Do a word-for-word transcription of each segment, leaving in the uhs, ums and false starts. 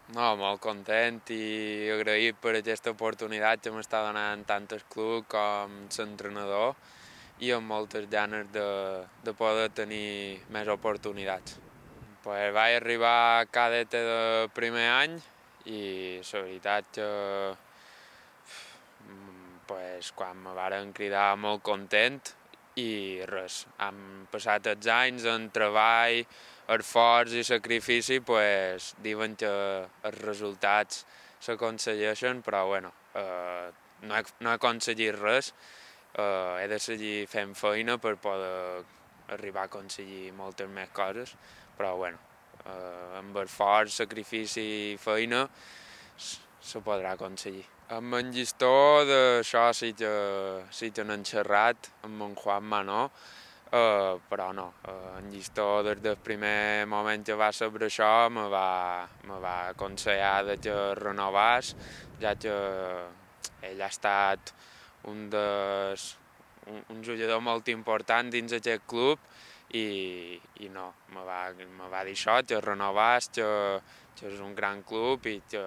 No, molt content i agraït per aquesta oportunitat que m'està donant tant el club com l'entrenador i amb moltes ganes de, de poder tenir més oportunitats. Pues vaig arribar cadeta de primer any i la veritat que pues, quan me varen cridar molt content i res, han passat els anys en treball, esforç i sacrifici, pues, diuen que els resultats s'aconsegueixen, però bueno, eh, no, he, no he aconseguit res, eh, he de seguir fent feina per poder arribar a aconseguir moltes més coses, però bueno, eh, amb esforç, sacrifici i feina se podrà aconseguir. Amb en llistó d'això sí que, sí que n'hem xerrat amb en Juan Manó, uh, però no, uh, en llistó des del primer moment que va saber això me va, me va aconsellar de que renovàs, ja que ell ha estat un, des, un, un jugador molt important dins aquest club i, i no, me va, me va dir això, que renovàs, que, que és un gran club i que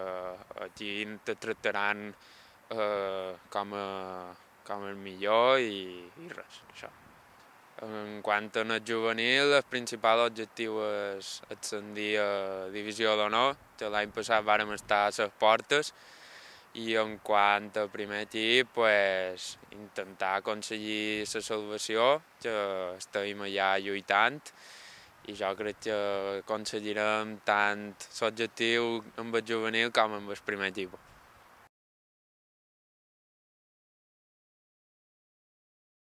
aquí te tractaran eh, com, a, com el millor i, i res, això. En quant a el juvenil, el principal objectiu és ascendir a Divisió d'Honor, que l'any passat vàrem estar a les portes, i en quant al primer equip, pues, intentar aconseguir la salvació, que estem allà lluitant, i jo crec que aconseguirem tant l'objectiu amb el juvenil com amb el primer equip.